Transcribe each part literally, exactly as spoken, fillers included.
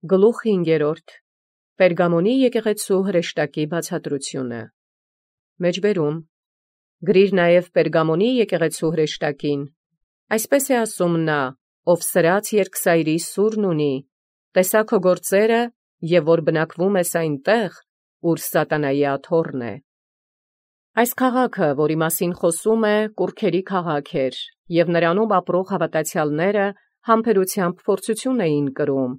Գլուխ հինգերորդ. Պերգամոնի եկեղեցու հրեշտակի բացատրությունը։ Մեջբերում. Գրիր նաև Պերգամոնի եկեղեցու հրեշտակին. այսպես է ասում նա, ով սրած երկսայրի սուրն ունի, տեսա քո գործերը, և որ բնակվում ես այնտեղ, ուր սատանայի աթոռն է։ Այս քաղաքը, որի մասին խոսում է, կուռքերի քաղաք էր, և նրանում ապրող հավատացյալները համբերությամբ փորձություն էին կրում,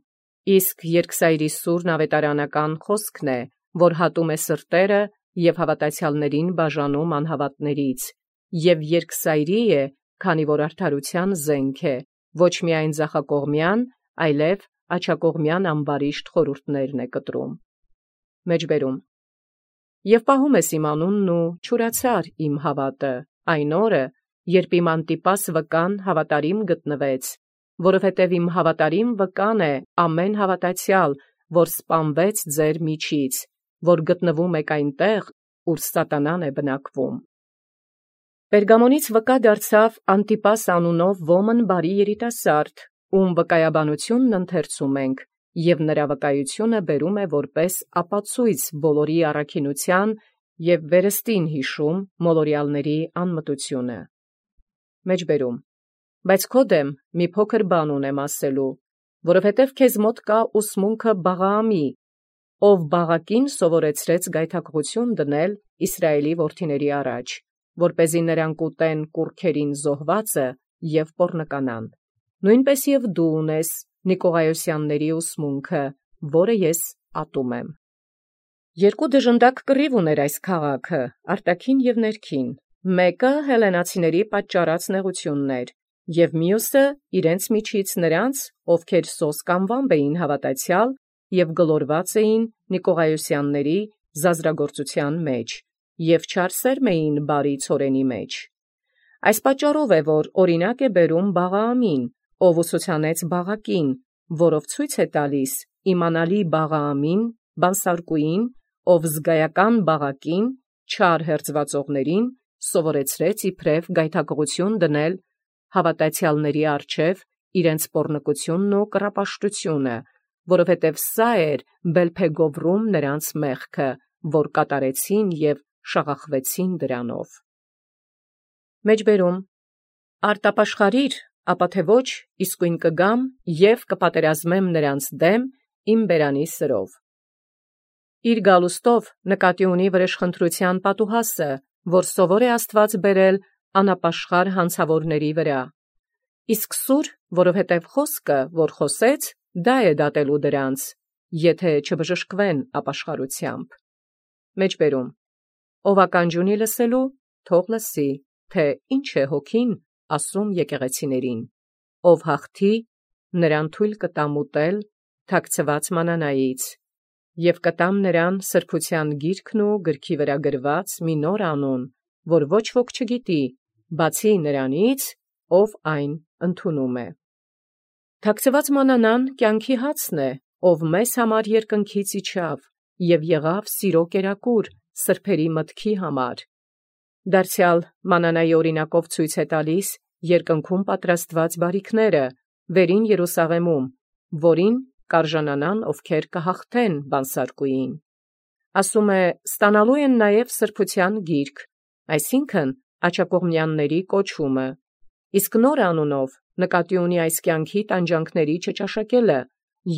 իսկ երկսայրի սուրն ավետարանական խոսքն է, որ հատում է սրտերը և հավատացյալներին բաժանում անհավատներից, և երկսայրի է, քանի որ արդարության զենք է, ոչ միայն ձախակողմյան, այլև աջակողմյան ամբարիշտ խորհուրդներն է կտրում։ Մեջբերում. Եվ պահում ես իմ անունն ու չուրացար իմ հավատը, այն օրը, երբ իմ Անտիպաս վկան հավատարիմ գտնվեց, որովհետև իմ հավատարիմ վկան է ամեն հավատացյալ, որ սպանվեց ձեր միջից, որ գտնվում եք այնտեղ, ուր սատանան է բնակվում։ Պերգամոնից վկա դարձավ Անտիպաս անունով ոմն բարի երիտասարդ, ում վկայաբանությունն ընթերցում ենք, և նրա վկայությունը բերում է որպես ապացույց բոլորի առաքինության և վերստին հիշում մոլորյալների անմտությունը։ Մեջբերում. Բայց քո դեմ մի փոքր բան ունեմ ասելու, որովհետև քեզ մոտ կա ուսմունքը Բաղաամի, ով Բաղակին սովորեցրեց գայթակղություն դնել Իսրայելի որդիների առաջ, որպեսզի նրանք ուտեն կուռքերին զոհվածը և պոռնկանան։ Նույնպես և դու ունես Նիկողայոսյանների ուսմունքը, որը ես ատում եմ։ Երկու դժնդակ կռիվ ուներ այս քաղաքը, արտաքին և ներքին, մեկը հելլենացիների պատճառած նեղությունն էր, և մյուսը իրենց միջից նրանց, ովքեր սոսկ անվամբ էին հավատացյալ և գլորված էին Նիկողայոսյանների զազրագործության մեջ, և չարսերմ էին բարի ցորենի մեջ։ Այս պատճառով է, որ օրինակ է բերում Բաղաամին, ով ուսուցանեց Բաղակին, որով ցույց է տալիս իմանալի Բաղաամին, բանսարկուին, ով զգայական Բաղակին, չար հերձվածողներին, սովորեցրեց իբրև գայթակղություն դնել հավատացյալների առջև իրենց պոռնկությունն ու կռապաշտությունը, որովհետև սա էր Բելփեգովրում նրանց մեղքը, որ կատարեցին և շաղախվեցին դրանով։ Մեջբերում. Արտապաշխարիր, ապա թե ոչ, իսկույն կգամ և կպատերազմեմ նրանց դեմ իմ բերանի սրով։ Իր գալուստով նկատի ունի վրեժխնդրության պատուհասը, որ սովոր է Աստված բերել անապաշխար հանցավորների վրա։ Իսկ սուր, որովհետև խոսքը, որ խոսեց, դա է դատելու դրանց, եթե չբժշկվեն ապաշխարությամբ։ Մեջբերում. Ով ականջ ունի լսելու, թող լսի, թե ինչ է հոգին ասում եկեղեցիներին։ Ով հաղթի, նրան թույլ կտամ ուտել թաքցված մանանայից, և կտամ նրան սրբության գիրքն ու գրքի վրա գրված մի նոր անուն, որ ոչ ոք չգիտի, բացի նրանից, ով այն ընդունում է։ Թաքցված մանանան կյանքի հացն է, ով մեզ համար երկնքից իջավ և եղավ սիրո կերակուր սրբերի մտքի համար։ Դարձյալ մանանայի օրինակով ցույց է տալիս երկնքում պատրաստված բարիքները, վերին Երուսաղեմում, որին կարժանանան, ովքեր կհաղթեն բանսարկուին։ Ասում է, ստանալու են նաև սրբության գիրք, այսինքն աջակողմյանների կոչումը, իսկ նոր անունով նկատի ունի այս կյանքի տանջանքների չճաշակելը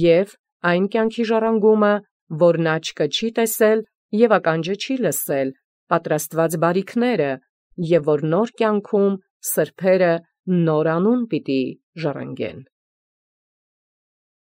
և այն կյանքի ժառանգումը, որ նա աչքը չի տեսել և ականջը չի լսել, պատրաստված բարիքները, և որ նոր կյանքում սրբերը նոր անուն պիտի ժառանգեն։